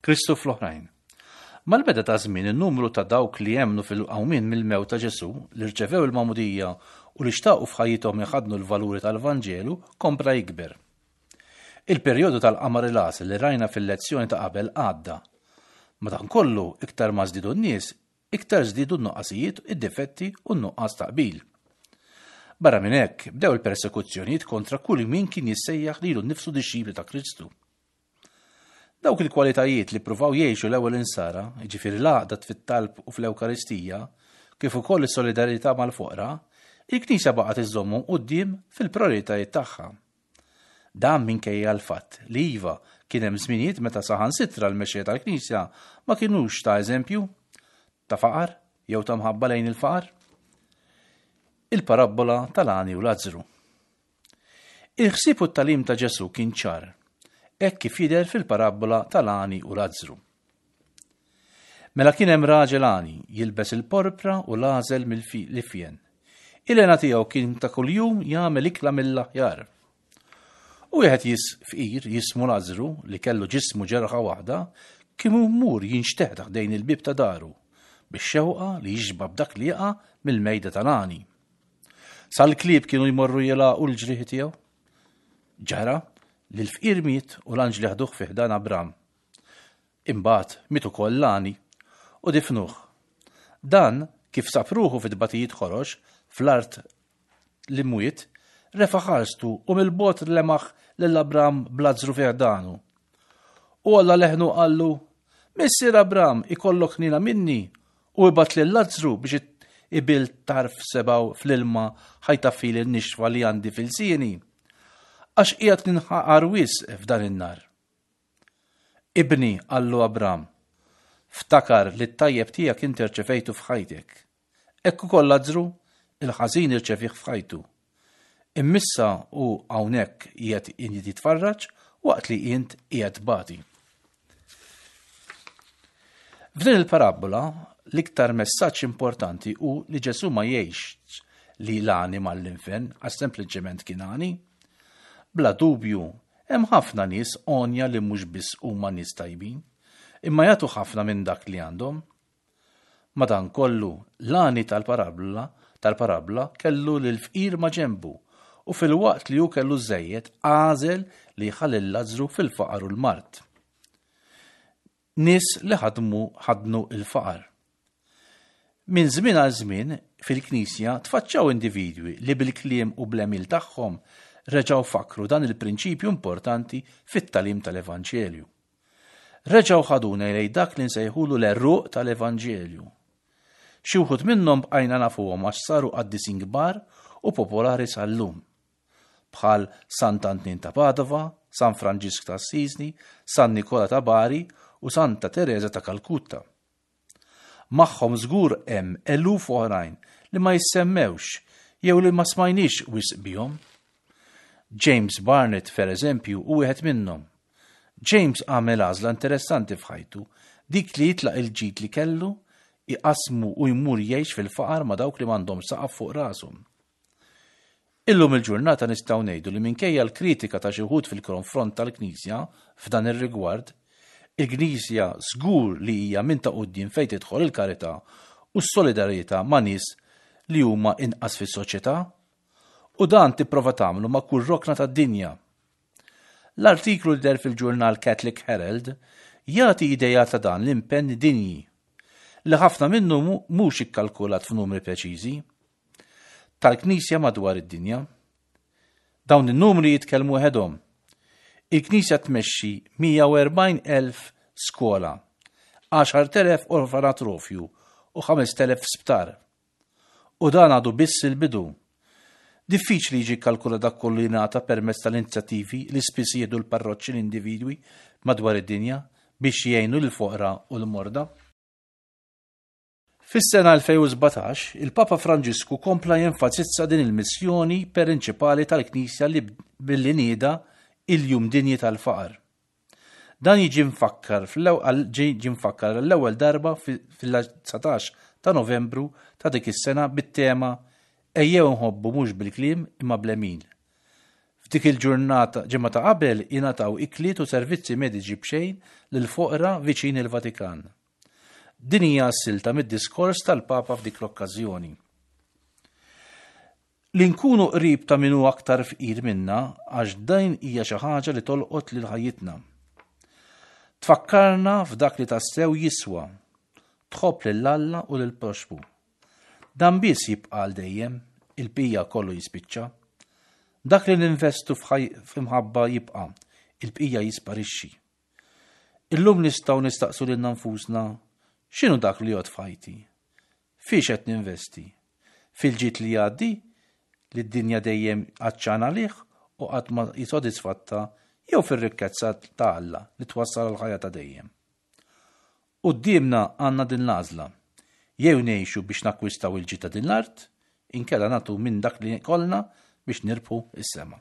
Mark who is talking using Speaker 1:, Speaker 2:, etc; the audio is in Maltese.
Speaker 1: Kristu fl-oħrajn. Mal-beda ta' żmien in-numru ta' dawk li emmnu fil-qawmien mill-mewt ta' Ġesù, li rċevew il-magħmudija u li xtaqu f'ħajjithom iħaddnu l-valuri tal-Vanġelu kompla jikber. Il-perjodu tal-qamar il-għasel li rajna fil-lezzjoni ta' qabel għadda. Madankollu, iktar ma żdiedu n-nies, iktar żdiedu n-nuqqasijiet, id-difetti u n-nuqqas ta' qbil. Barra minn hekk, bdew il-persekuzzjonijiet kontra kull min kien jissejjaħ lilu nnifsu dixxipli ta' Kristu. Dawk il-kwalitajiet li ppruvaw jgħixu l-ewwel insara, jiġifieri l-għaqda fit-talb u fl-Ewkaristija, kif ukoll is-solidarjetà mal-foqra, il-Knisja baqgħet iżżommhom quddiem fil-prijoritajiet tagħha. Dan minkejja l-fatt li iva kien hemm żminijiet meta saħansitra l-mexxejja tal-Knisja ma kinux ta' eżempju ta' faqar jew ta' mħabba lejn il-faqar. Il-parabbola tal-għani u Lazzru. Il-ħsieb u t-tagħlim ta' Ġesù kien ċar, hekk kif jidher fil-parabbola tal-għani u Lazzru. Mela kien hemm raġel għani jilbes il-porpra u l-għażel mill-ifjen. Il-hena tiegħu kien ta' kuljum jagħmel ikla mill-aħjar. U wieħed jis fqir jismu Lazzru li kellu ġismu ġerħa waħda kien mur jinxteħ ħdejn il-bieb ta' daru bix-xewqa li jixba' b'dak li jaqa' mill-mejda tal-għani. Sal-klieb kienu jmorru jilagħqu l-ġrieħi tiegħu. Ġara li l-fqir miet u l-anġli ħduh fi ħdan Abram. Imbagħad miet ukoll l-għani u difnuh. Dan kif sab ruħu fi tbatijiet ħorox fl-art l-imwiet, refa' ħarstu u mill-bogħod lemaħ lil Abram b'Lazzru fi ħdanu. U għolla leħnu qallu, Missier Abram, ikollok ħniena minni U ibgħat lil Lazzru biex ibill tarf sebgħu fl-ilma ħa jtaffili n-nixfa li għandi f'ilsieni, għax qiegħed ninħaqar wisq f'dan in-nar. Ibni, qallu Abram, ftakar li t-tajjeb tiegħek inti rċevejtu f'ħajtek. Hekk ukoll Lazzru, il-ħażin irċevih f'ħajtu. Immissa hu hawnhekk qiegħed jitfarraġ waqt li int qiegħed tbati. F'din il-parabbola, l-iktar messaġġ importanti hu li Ġesù ma jgħixx li l-għani mal-infern għax sempliċement kien għani. Bla dubju, hemm ħafna nies għonja li mhux biss huma nies tajbin, imma jagħtu ħafna minn dak li għandhom. Madankollu, l-għani tal-parabbola tal-parabbola kellu lill-fqir maġenbu u filwaqt li hu kellu żżejjed għażel li jħalli lil Lazzru fil-faqar u l-mard. Nies li ħadmu ħadnu l-faqar. Minn żmien għal żmien fil-Knisja tfaċċaw individwi li bil-kliem u bl-għemil tagħhom reġgħu fakkru dan il-prinċipju importanti fit-tagħlim tal-Evanġelju. Reġgħu ħaduna lejn dak li nsejħulu l-għeruq tal-Evanġelju. Xi wħud minnhom bqajna nafuhom għax saru qaddisin kbar u popolari sal-lum. Bħal Sant'Antnin ta' Padova, San Franġisk ta' Assisi, San Nikola ta' Bari u Santa Tereża ta' Kalkutta. Magħhom żgur hemm eluf oħrajn li ma jissemmewx jew li ma smajniex wisq bihom. James Barnett, per eżempju, hu wieħed minnhom. James għamel għażla interessanti f'ħajtu, dik li jitlaq il-ġid li kellu, iqassmu u jmur jgħix fil-faqar ma' dawk li m'għandhomx saqaf fuq rashom. Illum il-ġurnata nistgħu ngħidu li minkejja l-kritika ta' xi wħud fil-konfront tal-Knisja f'dan ir-rigward, il-Knisja żgur li hija minn ta' quddiem fejn tidħol il-karità u s-solidarjetà ma' nies li huma inqas fis-soċjetà. U dan tipprova tagħmlu ma' kull rokna tad-dinja. L-artiklu li deher fil-ġurnal Catholic Herald jagħti idea ta' dan l-impenn dinji, li ħafna minnu mhux ikkalkulat f'numri preċiżi. tal-Knisja madwar id-dinja. Dawn in-numri jitkellmu waħedhom. Il-Knisja tmexxi 140,000 skola, 10,000 orfanatrofju u 5,000 sptar. U dan għadu biss il-bidu. Diffiċli jiġi kkalkulat dak kollu li jingħata permezz tal-inizjattivi li spiss jieħdu l-parroċċi l-individwi madwar id-dinja biex jgħinu lill-foqra u l-morda. Fis-sena 2017, il-Papa Franġisku kompla jenfasizza din il-missjoni perinċipali tal-Knisja li billi nieda il-Jum Dinji tal-Faqar. Dan jiġi mfakkar ġie mfakkar għall-ewwel darba fil-19 ta' Novembru ta' dik is-sena bit-tema Ejjew nħobbu mhux bil-kliem imma bl-għemil. F'dik il-ġurnata ġimgħa ta' qabel jingħataw ikliet u servizzi mediċi b'xejn lill-foqra viċin il-Vatikan. Din hija s-silta mid-diskors tal-Papa f'dik l-okkażjoni. Li nkunu qrib ta' min hu aktar fqir minna għax din hija xi ħaġa li tolqot lil ħajjitna. Tfakkarna f'dak li tassew jiswa. Tħobb lil Alla u lil proxmu. Dan biss jibqa' għal dejjem, il-bqija kollu jispiċċa. Dak li ninvestu f'imħabba jibqa', il-bqija jisparixxi. Illum nistgħu nistaqsu lilna nfusna x'inhu dak li jgħod f'ħajti? Fiex qed ninvesti? Fil-ġid li jgħaddi, li d-dinja dejjem għatxana għalih u qatt ma hi sodisfatta jew fir-rikkezza ta' Alla li twassal għall-ħajja ta' dejjem? Quddiemna għandna din l-għażla, jew ngħixu biex nakkwistaw il-ġid ta' din l-art, inkella nagħtu minn dak li jkollna biex nirbħu s-sema.